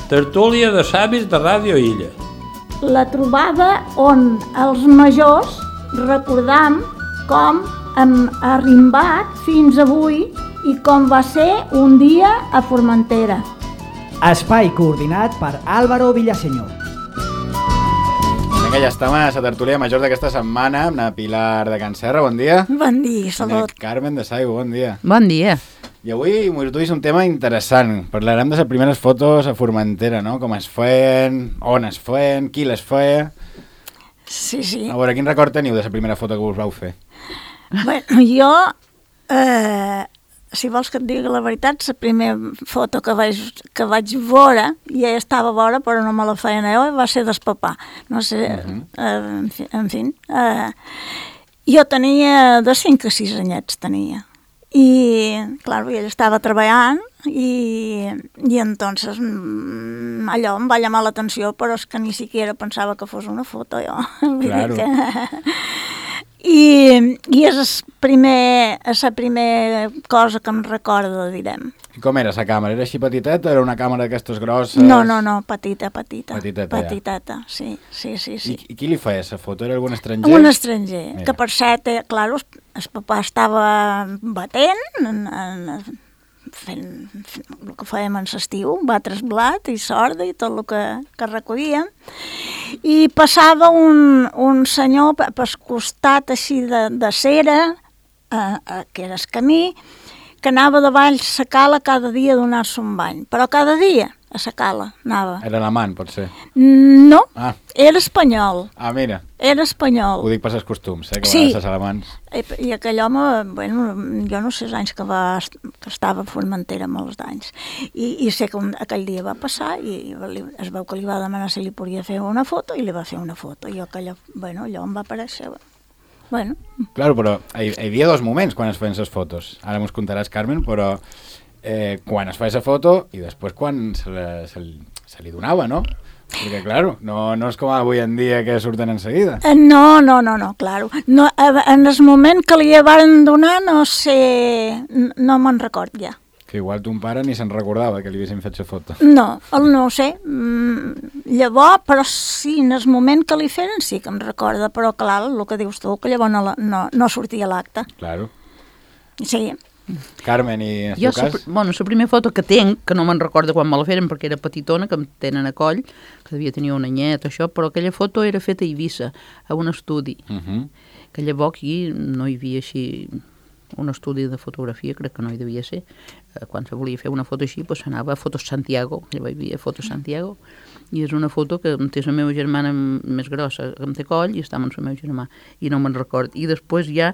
Tertúlia de savis de Ràdio Illa. La trobada on els majors recordam com hem arrimbat fins avui i com va ser un dia a Formentera. Espai coordinat per Álvaro Villaseñor. Vinga, ja estem a la tertúlia major d'aquesta setmana amb la Pilar de Can Serra, bon dia. Bon dia, salut. Carmen de Saigo, bon dia. Bon dia. I avui m'ho duis un tema interessant. Parlarem de les primeres fotos a Formentera, no? Com es feien, on es feien, qui les feia. Sí. A veure, quin record teniu de la primera foto que us vau fer? Bueno, jo, si vols que et digui la veritat, la primera foto que vaig veure, ja estava a veure, però no me la feien jo, va ser del papà. No sé, en fi. Jo tenia de 5 a 6 anyets, tenia. I, clar, ell estava treballant i entonces allò em va llamar l'atenció, però és que ni siquiera pensava que fos una foto, jo. Claro. I és la primera cosa que em recordo, direm. I com era la càmera? Era així petiteta o era una càmera d'aquestes grosses? No, petita. Petiteta, sí. I qui li feia la foto? Era algun estranger? Un estranger, Mira. que per cert, clar, el papà estava batent, fent el que fèiem en l'estiu, batre blat i sorda i tot el que recollíem. I passava un senyor pel costat així de cera, que era el camí, que anava davall la cala cada dia a donar-se un bany. Però cada dia a la cala anava. Era l'amant, pot ser? No, Ah. era espanyol. Ah, mira. Era espanyol. Ho dic per els costums, que Sí. van a ser alamans. I aquell home, bueno, jo no sé els anys que estava a Formentera, molts d'anys. I sé que aquell dia va passar i es veu que li va demanar si li podia fer una foto i li va fer una foto. I allò em va aparèixer. Bueno. Claro, però hi havia dos moments quan es feien les fotos. Ara mos contaràs, Carmen, però quan es feia la foto i després quan se li donava, no? Perquè, claro, no és com avui en dia que surten en seguida. No, claro. No, en el moment que li van donar, no sé, no me'n record ja. Que igual ton pare ni se'n recordava que li haguessin fet la foto. No ho sé. Llavors, però sí, en el moment que li feren sí que em recorda, però clar, el que dius tu, que llavors no sortia a l'acte. Claro. Sí. Carmen, i en el teu cas? La primera foto que tenc, que no me'n recordo quan me la feren perquè era petitona, que em tenen a coll, que devia tenir un anyet, això, però aquella foto era feta a Eivissa, a un estudi. Que llavors aquí no hi havia així un estudi de fotografia, crec que no hi devia ser. Quan se volia fer una foto així, doncs s'anava a Fotos Santiago, llavors hi havia Fotos Santiago, i és una foto que em té la meva germana més grossa, que em té coll, i estava amb el meu germà, i no me'n record. I després hi ha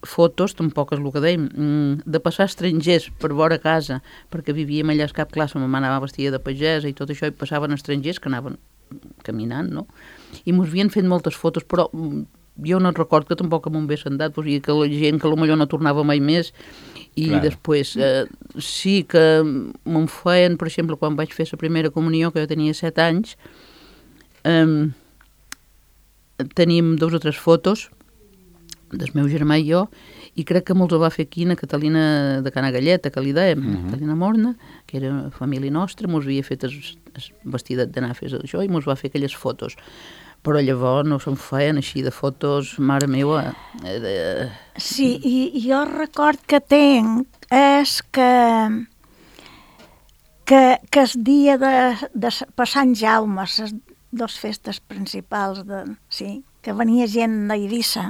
fotos, tampoc és el que dèiem, de passar estrangers per vora casa, perquè vivíem allà a cap classe, ma mare anava vestida de pagesa i tot això, i passaven estrangers que anaven caminant, no? I mos havien fet moltes fotos, però jo no record que tampoc m'ho hagués andat, i que la gent que potser no tornava mai més, i Clar. després sí que me'n feien, per exemple, quan vaig fer la primera comunió, que jo tenia 7 anys, teníem 2 o 3 fotos del meu germà i jo, i crec que molts ho va fer aquí a Catalina de Cana Galleta, que li dèiem, Catalina Morna, que era família nostra, mos havia fet el vestidet d'anar a fer això, i mos va fer aquelles fotos. Però llavors no se'n feien així de fotos, mare meva. Sí, i jo record que tenc és que el dia de per Sant Jaume, les 2 festes principals, que venia gent d'Eivissa,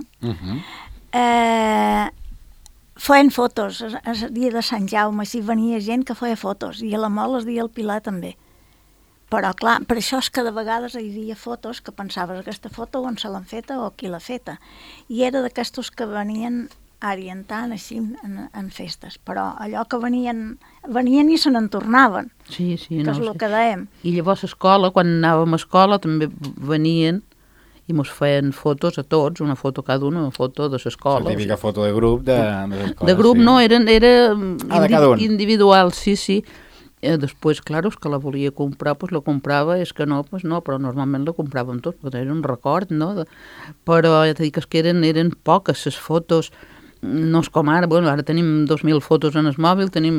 feien fotos el dia de Sant Jaume, si venia gent que feia fotos, i a la Mol el dia del Pilar també. Però, clar, per això és que de vegades hi havia fotos que pensaves aquesta foto on se l'han feta o qui l'ha feta. I era d'aquestos que venien orientant així en festes. Però allò que venien i se n'en tornaven. Sí, que és el que dèiem. I llavors a escola, quan anàvem a escola, també venien i mos feien fotos a tots, una foto cada una foto de l'escola. La típica foto de grup de l'escola. De grup, sí. No, era de cada un. Individual, sí. Després, clar, és que la volia comprar, doncs la comprava, és que no, doncs no, però normalment la compràvem tots, perquè era un record, no? Però ja t'he dit que eren poques les fotos. no és com ara, bueno, ara tenim 2.000 fotos en el mòbil, tenim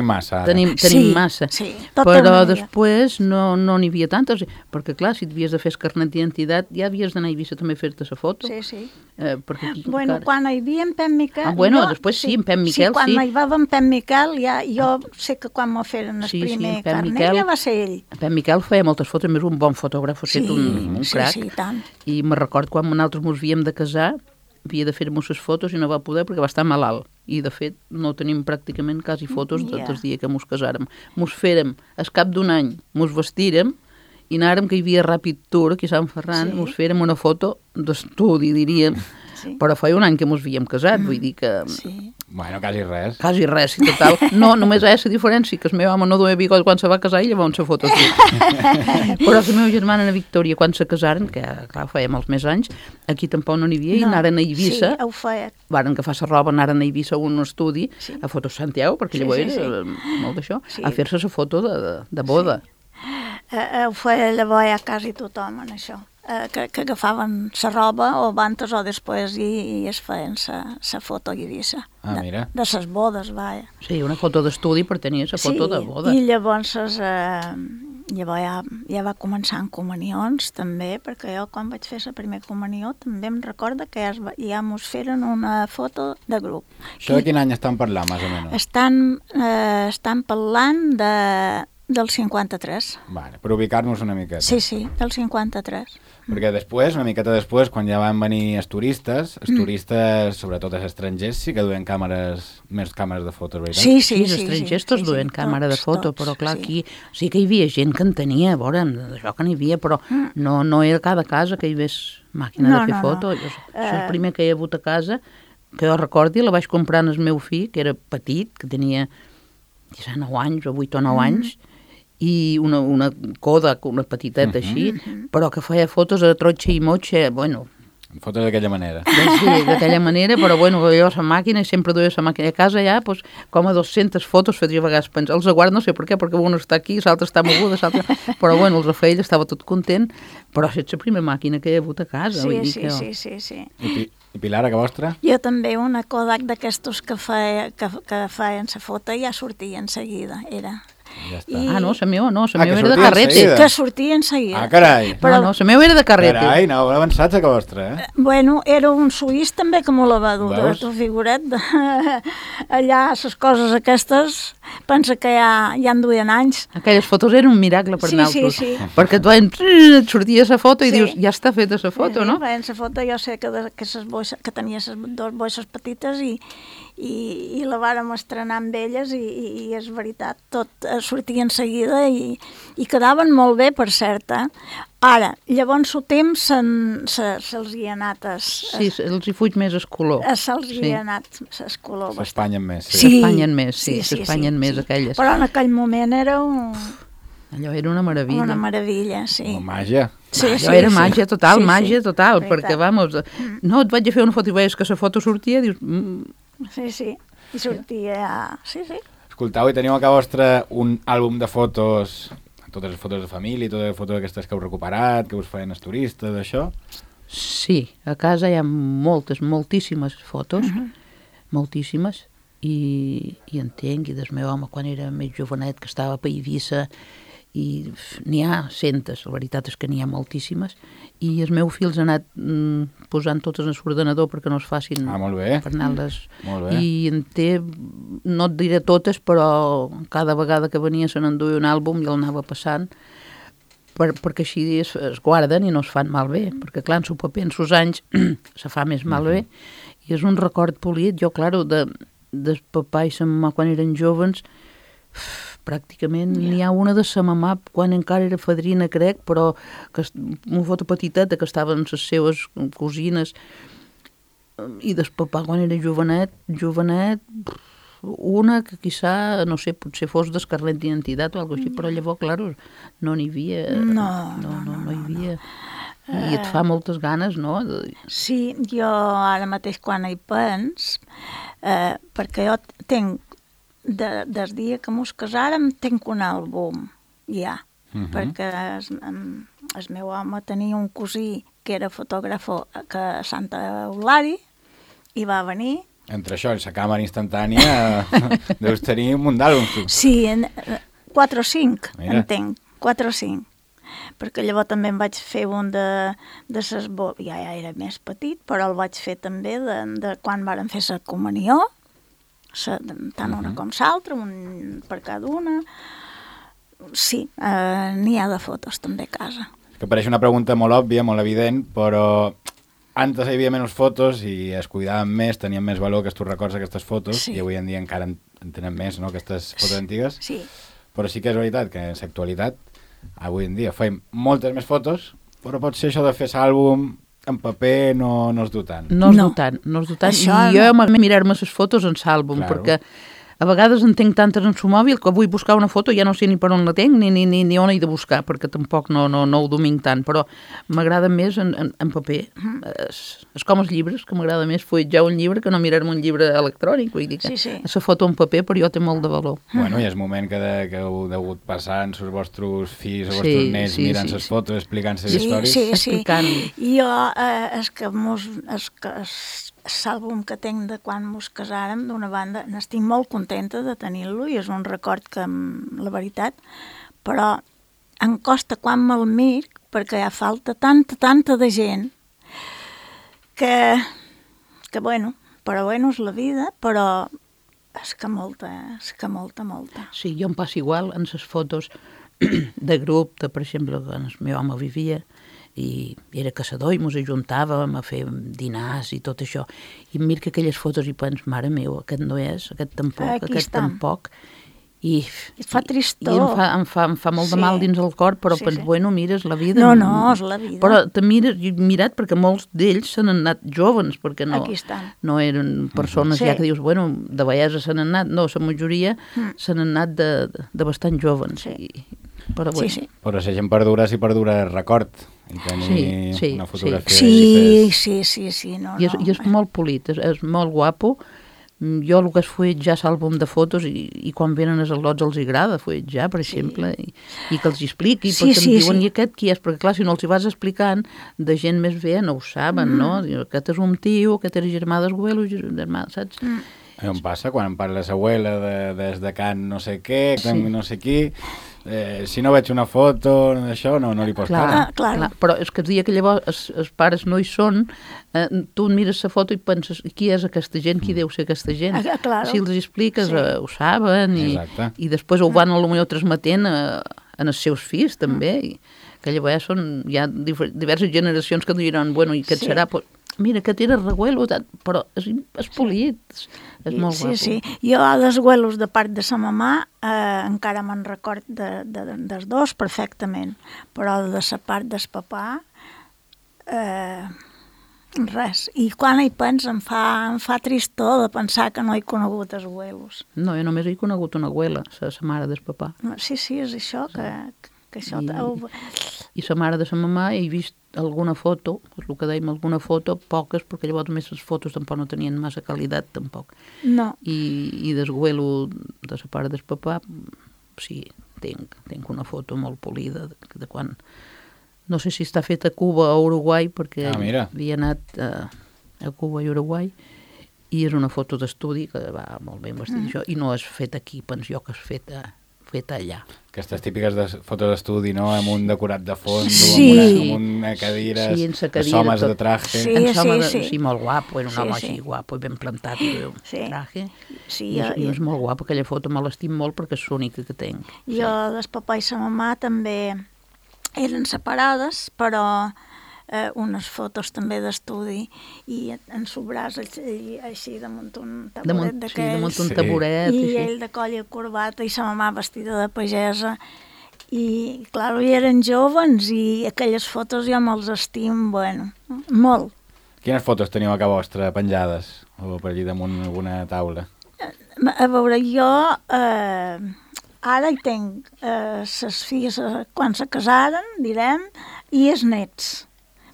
massa, ara. Tenim Sí, massa. sí, tot Però el dia. després no n'hi havia tantes, perquè clar, si t'havies de fer el carnet d'identitat, ja havies d'anar a Eivissa també a fer-te la foto. Sí, sí. Perquè aquí, Bueno, encara... quan hi havia en Pep Miquel... Després sí, en Pep Miquel, sí. Quan sí. hi va en Pep Miquel, jo sé que quan me feren el primer en Pep carnet Miquel, ja va ser ell. Pep Miquel feia moltes fotos, més un bon fotògraf, ha estat un crac. Sí, tant. I me record quan nosaltres ens havíem de casar, havia de fer-nos les fotos i no va poder perquè va estar malalt. I, de fet, no tenim pràcticament quasi fotos del dia que mos casàrem. Mos fèrem, al cap d'un any, mos vestirem i anàrem, que hi havia Rapid Tour aquí a Sant Ferran, mos fèrem una foto d'estudi, diríem. Sí. Però feia un any que mos havíem casat, vull dir que... Sí. Bueno, quasi res. Quasi res, i total. No, només hi ha la diferència, que el meu home no duia bigot quan se va casar i llavors se foto aquí. Però la meva germana, la Victòria, quan se casaren, que clar, feia molts més anys, aquí tampoc no n'hi havia, i anaren a Eivissa. Sí, ho feia. Varen agafar la roba, anaren a Eivissa a un estudi, a Fotos Santiago, perquè llavors era molt d'això, a fer-se la foto de boda. Ho feia llavors ja quasi tothom, en això. Que agafaven la roba o abans o després i es feien la foto a Eivissa. Ah, mira. De les bodes, vaja. Sí, una foto d'estudi per tenir la foto de boda. I llavors ja va començar en comunions també, perquè jo quan vaig fer la primera comunió també em recorda que ja mos feren una foto de grup. Això de quin any estan parlant, més o menys? Estan parlant del 53. Vale, per ubicar-nos una miqueta. Sí, del 53. Perquè després, una miqueta després, quan ja van venir els turistes, sobretot els estrangers, sí que duen més càmeres de fotos, veritat? Sí. Els estrangers tots duen càmera de foto, però clar, aquí sí que hi havia gent que en tenia, a veure, d'això que n'hi havia, però no era cada casa que hi hagués màquina de fer foto. El primer que hi ha hagut a casa, que jo recordi, la vaig comprar en el meu fill, que era petit, que tenia 9 anys o 8 o 9 anys, i una Kodak, una petiteta així, però que feia fotos a trotxa i motxa, bueno... Fotos d'aquella manera. Sí, d'aquella manera, però bueno, jo la màquina, i sempre duia la màquina a casa ja, doncs, com a 200 fotos feia a vegades pensar. Els aguards no sé per què, perquè un està aquí, l'altre està moguda, però bueno, el Rafael estava tot content, però és la primera màquina que hi ha hagut a casa. Sí. I Pilar, a que vostra? Jo també, una Kodak d'aquestos que feien la foto ja sortia en seguida, era... Ja està. No, la meva no, la meva que era de sortia carrete. enseguida. Que sortia en seguida. Ah, carai. Però... No, la meva era de carrete. Carai, no, avançats a que vostra, Bueno, era un suís també que me la va dur, tu figuret. Allà, les coses aquestes, pensa que ja en duien anys. Aquelles fotos eren un miracle per nosaltres. Sí. Perquè tu et sortia la foto i dius, ja està feta la foto, no? Sí, la foto jo sé que tenia les dues boixes petites i la vàrem estrenar amb elles i és veritat, tot sortia en seguida i quedaven molt bé, per cert. Ara, llavors el temps se'ls hi ha anat... Sí, els hi fuig més el color. Se'ls hi ha anat el color. S'espanyen més. S'espanyen més, aquelles. Però en aquell moment era allò era una meravella. Una meravella, sí. Una màgia. Allò era màgia total, perquè, vamos, no, et vaig a fer una foto i veies que la foto sortia i dius... Sí, i sortia... Sí. Escoltau, i teniu a casa vostra un àlbum de fotos, totes les fotos de família, totes les fotos aquestes que heu recuperat, que us feien els turistes, això? Sí, a casa hi ha moltíssimes fotos, moltíssimes, i entenc, i del meu home quan era més jovenet, que estava a Eivissa, i n'hi ha centes, la veritat és que n'hi ha moltíssimes, i el meu fill ha anat posant totes en l'ordenador perquè no es facin per anar-les. I en té, no et diré totes, però cada vegada que venia se n'enduia un àlbum i el anava passant, perquè així es guarden i no es fan malbé, perquè clar, en el paper, en sos anys, se fa més malbé, i és un record polit. Jo, clar, del papà i sa mamà quan eren jovens, pràcticament n'hi ha una de sa mamà quan encara era fadrina, crec, però una foto petiteta que estaven les seves cosines, i del papà quan era jovenet, una que quizà, no sé, potser fos del carnet d'identitat o alguna cosa així, però llavors, clar, no n'hi havia. No hi havia. I et fa moltes ganes, no? Sí, jo ara mateix quan hi pens, perquè jo tenc des dia que mos casàrem tinc un àlbum ja, perquè el meu home tenia un cosí que era fotògraf a Santa Eulària i va venir. Entre això i la càmera instantània deus tenir un munt d'àlbums, tu. Sí, 4 o 5, Mira. entenc, 4 o 5. Perquè llavors també em vaig fer un de ses ja era més petit, però el vaig fer també de quan varen fer la comunió, tant una com l'altra, un per cada una. Sí, n'hi ha de fotos també a casa. Que pareix una pregunta molt òbvia, molt evident, però antes hi havia menys fotos i es cuidaven més, tenien més valor que tu records aquestes fotos, Sí. i avui en dia encara en tenen més, no?, aquestes fotos antigues. Sí. Però sí que és veritat que en l'actualitat, avui en dia, fem moltes més fotos, però pot ser això de fer l'àlbum en paper no es du tant. No es No. du tant, no es du tant. Això I jo mirar-me les fotos en l'àlbum, Claro. perquè a vegades en tinc tantes en su mòbil que vull buscar una foto, ja no sé ni per on la tinc ni on he de buscar, perquè tampoc no ho dominc tant, però m'agrada més en paper. És com els llibres, que m'agrada més fulletjar un llibre que no mirar-me un llibre electrònic, vull dir que Sí, sí. la foto en paper per jo té molt de valor. Bueno, i és moment que heu degut passar amb els vostres fills, els Sí, vostres nets, sí, mirant sí, les sí. fotos, explicant les Sí, històries. sí, sí. Explicant. I jo, l'àlbum que tinc de quan mos casàrem, d'una banda, n'estic molt contenta de tenir-lo i és un record que, la veritat, però em costa quan me'l mir perquè hi ha falta tanta de gent que bueno, és la vida, però és que molta. Sí, jo em passa igual en les fotos de grup, per exemple, quan el meu home vivia i era caçador i ens ajuntàvem a fer dinars i tot això. I em miro aquelles fotos i penso, mare meu, aquest no és, aquest tampoc, Aquí aquest estan. tampoc. I Et fa tristor. I em fa molt de Sí. mal dins el cor, però Sí, penso, sí. bueno, mira, és la vida. No, és la vida. Però te mires, jo he mirat perquè molts d'ells s'han anat jovens, perquè Aquí estan. no eren persones Sí. ja que dius, bueno, de bellesa s'han anat, no, la majoria s'han anat de bastant jovens. Sí. Però bueno. Sí, sí. Però la gent perdura el record i tenir Sí, sí, una fotografia. Sí, no. I és molt polit, és molt guapo. Jo el que és fulletjar l'àlbum de fotos i quan venen els al·lots els agrada fulletjar, per exemple, i que els expliqui, Sí, perquè em diuen, sí. i aquest qui és? Perquè clar, si no els hi vas explicant, de gent més vella no ho saben, no? Diu, aquest és un tio, aquest era germà d'esguelo, germà, saps? A mi em passa quan em parla l'abuela des de Can no sé què, Sí. no sé qui, si no veig una foto d'això no li pots Clar, clar. però és que el dia que llavors els pares no hi són, tu mires la foto i penses, qui és aquesta gent, qui deu ser aquesta gent? Claro. Si els expliques, Sí. ho saben, Exacte. i després ho van potser transmetent en els seus fills, també, i que llavors hi ha diverses generacions que diran, bueno, i què Sí. serà? Pues, mira, aquest era Reguelo, però és polit, és molt guapo. Sí. Jo dels güelos de part de sa mamà encara me'n record dels dos perfectament, però de la part del papà res. I quan hi penso em fa tristor de pensar que no he conegut els güelos. No, jo només he conegut una abuela, la mare del papà. Sí, és això, que això... I la mare de la mamà he vist alguna foto, és el que dèiem, alguna foto, poques, perquè llavors més les fotos tampoc no tenien massa qualitat, tampoc. No. I desguelo de la part del papà, sí, tinc una foto molt polida de quan... No sé si està feta a Cuba o a Uruguai, perquè mira. havia anat a Cuba i Uruguai, i és una foto d'estudi que va molt ben vestit, això, i no és feta aquí, penso jo que és feta allà. Aquestes típiques fotos d'estudi, no?, amb un decorat de fons, Sí. amb una cadira, Sí, en sa cadira, els homes tot. de traje. Sí. En home, sí. molt guapo, era un Sí, home sí. així guapo i ben plantat i un Sí. traje. Sí, I és molt guapo, aquella foto me l'estim molt perquè és l'única que tinc. Jo, del papà i sa mamà també eren separades, però unes fotos també d'estudi i en su braç així damunt un taburet d'aquells. Sí, damunt un Sí. taburet. I així. ell de colla i corbata i sa mamà vestida de pagesa. I, clar, hi eren jovens i aquelles fotos jo me'ls estim, bueno, molt. Quines fotos teniu a casa vostra penjades? O per allí damunt alguna taula? A veure, jo ara hi tinc ses filles quan se casaren, direm, i els nets.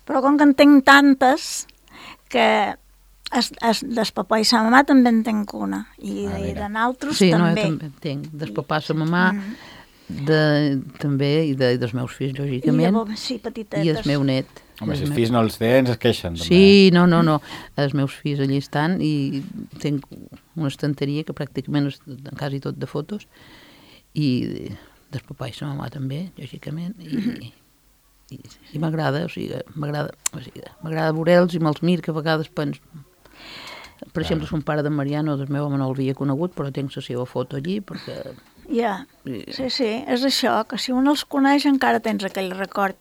Però com que en tinc tantes que del papà i sa mamà també en tinc una. I de naltros Sí, no, també. jo també en tinc. Del papà, sa mamà, també, i dels meus fills, I lògicament, llavors, sí, petitetes. i el meu net. Home, si els fills no els tens, es queixen. També. Sí, no. Els meus fills allí estan i tinc una estanteria que pràcticament és quasi tot de fotos i del papà i la mamà també, lògicament, i m'agrada, m'agrada veure'ls i me'ls mir que a vegades penso. Per exemple, son pare de Mariano, del meu home no l'havia conegut, però tinc la seva foto allí perquè... Ja, sí, és això, que si un els coneix encara tens aquell record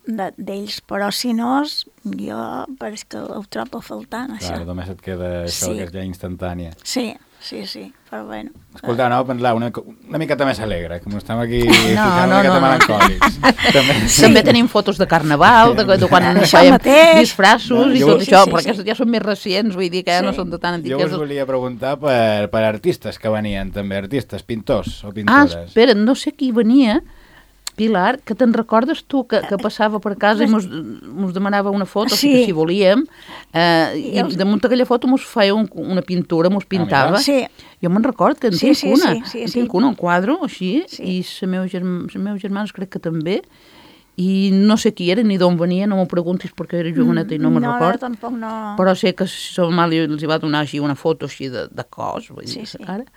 d'ells, però si no, jo pareix que ho trobo faltant, això. Clar, només et queda això, que és ja instantània. Sí, però bueno. Escolta, anava a pensar una miqueta més alegre, com estem aquí ficant una miqueta melancòlics. També tenim fotos de carnaval, de quan fèiem disfraços i tot això, però aquestes ja són més recents, vull dir que ja no són de tan antigues. Jo us volia preguntar per artistes que venien també, artistes, pintors o pintores. Espera, no sé qui venia, Pilar, que te'n recordes tu que passava per casa i mos demanava una foto, si volíem, i damunt d'aquella foto mos feia una pintura, mos pintava. Jo me'n record que en tinc una, un quadre així, i els meus germans crec que també, i no sé qui era ni d'on venia, no m'ho preguntis perquè era joveneta i no me'n record. No, tampoc no. Però sé que sa mamà els va donar així una foto així de cos, vull dir, cara.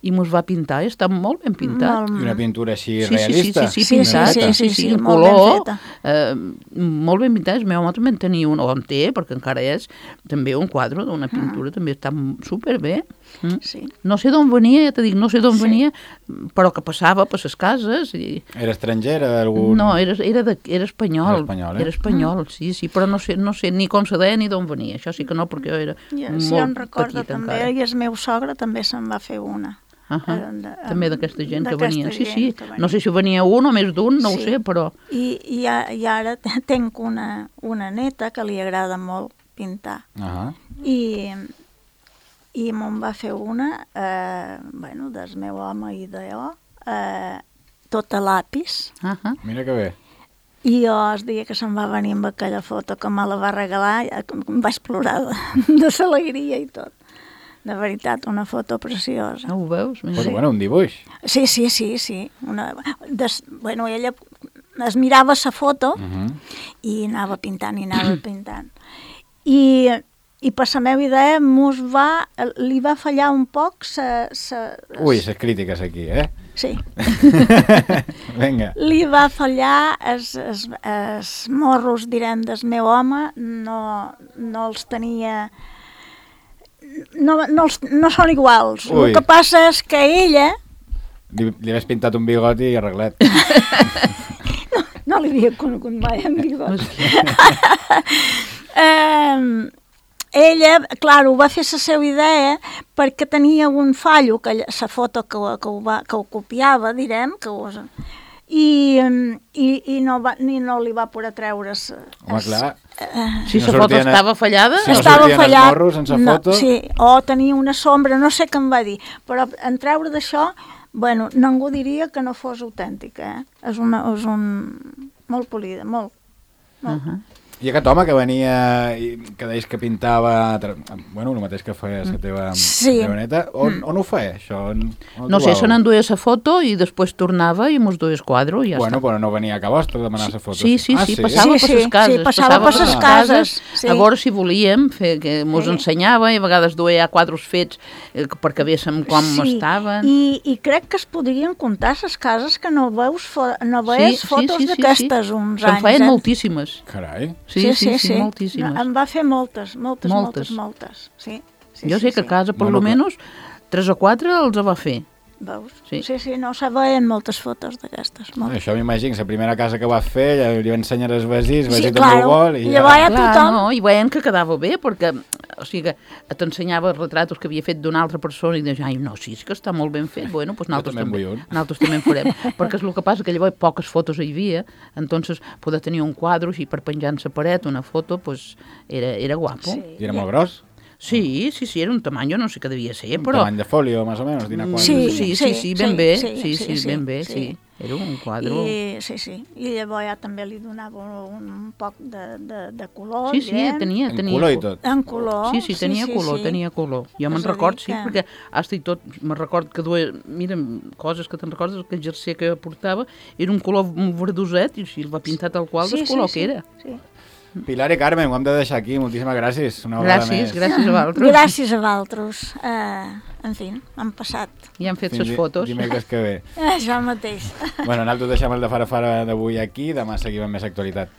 I mos va pintar, i està molt ben pintat. I una pintura així realista. Sí, pintat, en color, molt ben pintat. El meu home també en tenia un, o en té, perquè encara és, també un quadre d'una pintura, també està superbé. No sé d'on venia, ja t'he dit, venia, però que passava per les cases. Era estranger? No, era espanyol. Era espanyol, sí, però no sé ni com se deia ni d'on venia. Això sí que no, perquè jo era molt petita encara. I el meu sogre també se'n va fer una. També d'aquesta gent que venia. Sí. No sé si venia un o més d'un, no ho sé, però... I ara tinc una neta que li agrada molt pintar. I me'n va fer una, del meu home i de jo, tot a lapis. Mira que bé. I jo el dia que se'n va venir amb aquella foto que me la va regalar, em vaig plorar de l'alegria i tot. De veritat, una foto preciosa. Ho veus? Bueno, un dibuix. Sí. Ella es mirava la foto i anava pintant. I per la meva idea li va fallar un poc Ui, les crítiques aquí, Sí. Vinga. Li va fallar els morros, direm, del meu home, no els tenia... No són iguals. El que passa és que ella... Li havies pintat un bigoti i arreglat. No li havia conegut mai amb bigot. Ella, clar, ho va fer la seva idea perquè tenia un fallo, la foto que ho copiava, direm, i no li va poder treure... Home, clar. Si la foto estava fallada... Si no sortien els morros sense foto... Sí, o tenia una sombra, no sé què em va dir, però en treure d'això, ningú diria que no fos autèntica, És un... molt polida, molt. I aquest home que venia, que deies que pintava, el mateix que feia la teva neta, on ho feia, això? No sé, se n'enduia la foto i després tornava i mos duia el quadre i ja està. Però no venia a Cabostre a demanar la foto. Sí, passava per les cases. Sí, passava per les cases. A veure si volíem, que mos ensenyava i a vegades duia quadres fets perquè veiéssim com estaven. I crec que es podrien comptar les cases que no veus fotos d'aquestes uns anys. Se'n feien moltíssimes. Carai. Sí, moltíssimes. Em va fer moltes. Sí. Jo sé que a casa, per lo menos, 3 o 4 els va fer. Veus? Sí, no se veien moltes fotos d'aquestes. Això m'imagino, la primera casa que va fer, ja li va ensenyar els vesins, vesins també ho vol, i i veien que quedava bé, perquè t'ensenyava els retratos que havia fet d'una altra persona i deies, sí, és que està molt ben fet, doncs nosaltres també en farem, perquè és el que passa que llavors poques fotos hi havia, entonces poder tenir un quadre així per penjar en la paret, una foto, era guapo. I era molt gros? Sí, era un tamany, jo no sé què devia ser, però... Un tamany de folio, més o menys, dinar quant. Sí, ben bé, ben bé, sí. Era un quadre... Sí. I llavors ja també li donava un poc de color. Sí, tenia... En color i tot. En color. Sí, tenia color. Jo me'n record, sí, perquè hasta i tot, me'n record que duia... Mira, coses que te'n recordes, que el jersei que portava era un color verdoset i si el va pintar tal qual del color que era. Sí. Pilar i Carmen, ho hem de deixar aquí. Moltíssimes gràcies. Una vegada més. Gràcies a vosaltres. Gràcies a vosaltres. En fi, han passat. I han fet les fotos. Dimecres que ve. Això mateix. Bueno, nosaltres deixem el de Fara d'avui aquí. Demà seguim amb més actualitat.